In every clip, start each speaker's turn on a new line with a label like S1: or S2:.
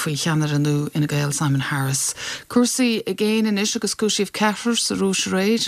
S1: faoi cheannaire nua Fhine Gael, Simon Harris. Cúrsaí i gcéin anois agus cúisíodh ceathrar sa Rúis aréir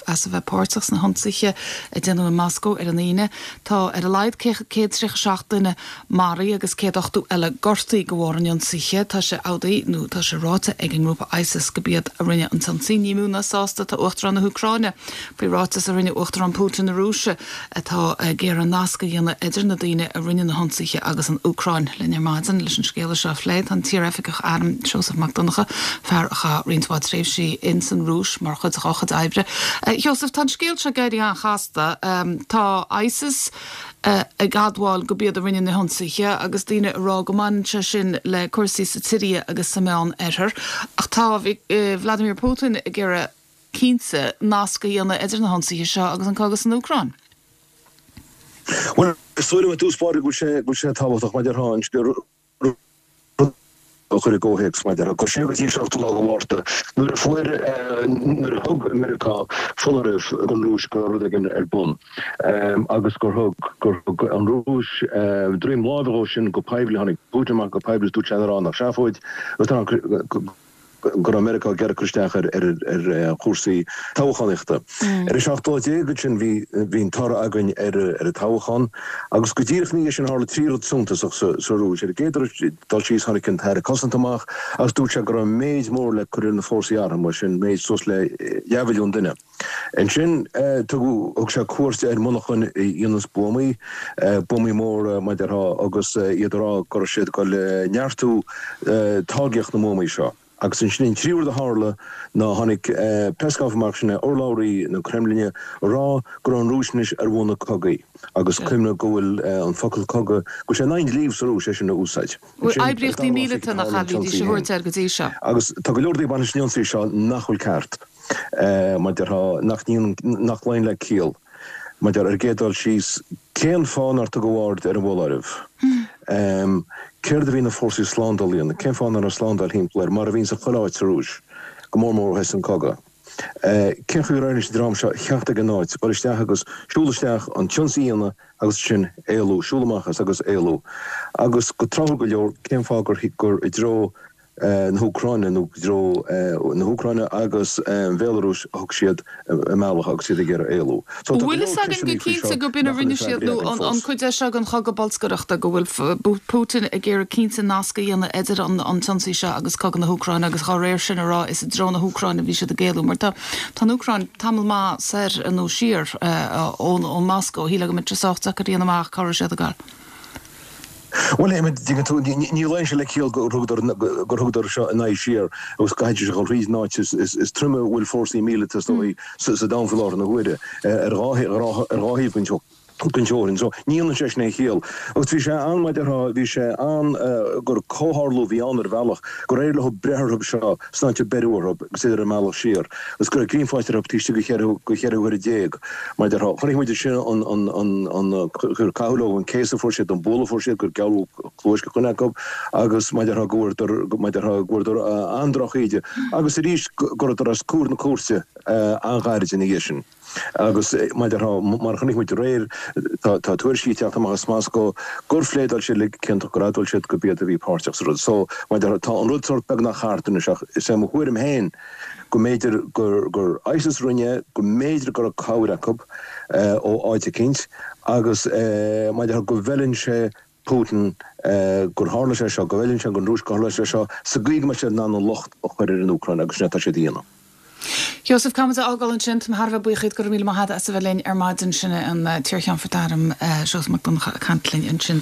S1: as a bheith páirteach sna hionsaithe a déanadh i Moscó ar an Aoine. Tá ar a laghad 137 duine maraithe agus 180 eile gortaithe de bharr an ionsaithe. Tá sé amhlaidh, nó tá sé ráite ag an ngrúpa ISIS go b'iad a rinne an t-ionsaí. Ní mó ná sásta atá Uachtarán na hÚcráine faoi ráiteas a rinne Uachtarán Putin na Rúise atá ag iarraidh nasc a dhéanamh idir na daoine a rinne na hionsaithe agus an Úcráin. Linn ar maidin leis an scéala seo a phlé tá an t-iar-oifigeach airm Seosamh Mac Donncha, fear a chaith roinnt mhaith tréimhsí ins an Rúis mar chuid dá chuid oibre. A Sheosaimh, tá an scéal seo ag éirí an-chasta. Tá ISIS ag admháil go b'iad a rinne na hionsaithe agus daoine ag rá go mbaineann sé sin le cúrsaí sa tSiria agus sa Meán Oirthear. Ach tá Vladimir Putin ag iarraidh cinnte nasc a dhéanamh idir na hionsaithe seo agus an cogadh san Úcráin.
S2: Bhuel, is dóigh liom i dtús báire go bhfuil sé tábhachtach maidir an rud a chur i gcomhthéacs maidir le siar go dtí an seachtú lá de Mhárta nuair a fuair nuair a thug Meiriceá foláireamh don Rúis go raibh rud éigin ar bun agus gur thug gur thug an Rúis droim láimhe dhó sin go poiblí tháinig Putin amach go poiblí is dúirt sé nach raibh ann ach seafóid agus go go raibh Meiriceá ag iarraidh cur isteach ar chúrsaí toghchánaíochta. Ar an 17 lá ansin bhí bhí an toradh againn ar an toghchán agus go díreach ina dhiaidh sin tharla 3 rud suntasach sa Rúis. Ar an gcéad dul síos tháinig an tAire Cosanta amach agus dúirt sé go raibh méid mór le cur ar na fórsaí armtha, sin méid suas le leathmhilliún duine. Ansin tugadh, thug sé cuairt ar mhonarchan a dhéananns buamaí, buamaí móra mar a déarfá, agus iad ag rá go raibh siad ag dul neartú táirgeacht na mbuamaí seo. Agus ansin an tríú rud a tharla ná tháinig Peskov amach, sin é urlabhraí na Creimlinne, ag rá go raibh an Rúis anois ar mhuin cogaidh. Agus cuimhnigh go bhfuil an focal cogadh, go bhfuil sé in aghaidh an dlí sa Rúis é sin a úsáid.
S1: Bhuel, oibríochtaí míleata nach ea a bhídís a thabhairt air go dtí seo.
S2: Agus tá go leor rudaí ag baint leis an ionsaí seo nach bhfuil ceart. Mar a déarfá, nach ndéanann, nach luíonn le ciall. Mar a déarfá, ar an gcéad dul síos, cén fáth nár tugadh aird ar an bhfoláireamh? Céard a bhí na fórsaí slándála a dhéanamh? Cén fáth nach raibh slándáil thimpeall air, mar a bhíonn sa chuile áit sa Rúis, go mór mór ó thosaigh an cogadh? Cén chaoi ar éirigh leis an dream seo theacht ag an áit, dul isteach agus siúl isteach, an t-ionsaí a dhéanamh agus ansin éalú, siúl amach as agus éalú? Agus go tráthúil go leor, cén fáth gur i dtreo na hÚcráine nó i dtreo na hÚcráine agus an Bhéalarúis a thug siad a mbealach agus iad ag iarraidh éalú.
S1: So tá go Bhfuil leor fhios againn go ceisteanna faoi cinnte seo gurb in a nach bhfuil rinne na siad freagraí nó againn an fós. cuid é seo den chogadh bolscaireachta go bhfuil Putin ag iarraidh cinnte nasc a dhéanamh idir an an t-ionsaí seo agus cogadh na hÚcráine agus dhá réir sin a rá is i dtreo na hÚcráine a bhí siad ag éalú mar tá tá an Úcráin tamall maith soir nó siar ón ón Moscó. Shílfeá go mbeadh sé sách deacair a dhéanamh amach cá raibh siad ag gabháil.
S2: Bhuel, an dtuigeann tú, ní luíonn sé le ciall gur thugadar, gur thugadar seo a n-aghaidh siar agus go gcaithfidís a dhul thríd an áit is troime a bhfuil fórsaí míleata is dóigh sa domhan faoi láthair na huaire, ar dhá thaobh den teorainn. So, ní dhéanann sé sin aon chiall. Agus bhí sé an, mar a déarfá, bhí sé an, gur comhtharlú a bhí ann ar bhealach, gur éirigh leo breith orthu seo san áit a beireadh orthu agus iad ar a mbealach siar, agus go raibh grian faighte orthu taobh istigh de cheithre huaire déag. Mar a déarfá, chonaic muid ansin an, an, an, an, gur caitheadh leo, an céasadh a fuair siad, an bualadh a fuair siad, gur gearradh cluais do dhuine acu agus mar a déarfá go bhfuaireadar, mar a déarfá, go bhfuaireadar an-drochíde agus arís go rabhadar os comhair na cúirte an-ghairid ina dhiaidh sin. Agus mar a déarfá, mar a chonaic muid aréir, tá, tá tuairiscí ag teacht amach as Moscó gur phléadáil siad uilig ciontach, gur admháil siad gurb iad a bhí páirteach sa rud. So, mar a déarfá, tá an rud sórt beagnach thart anois ach is é mo thuairim féin, go mb'fhéidir gur ISIS a rinne é, go mb'fhéidir go raibh cabhair acu ó áit eicínt agus mar a déarfá go bhfeileann sé Putin gur tharla sé seo, go bhfeileann sé don Rúis gur tharla sé seo sa gcaoi go mbeidh siad in ann an locht a chur ar an Úcráin agus sin é atá siad a dhéanamh.
S1: Sheosaimh, caithfimid a fhágáil ansin. Tá mé thar a bheith buíoch díot, go raibh míle maith agat as a bheith linn ar maidin. Sin é an t-iarCheannfort Airm, Seosamh Mac Donncha ag caint linn ansin.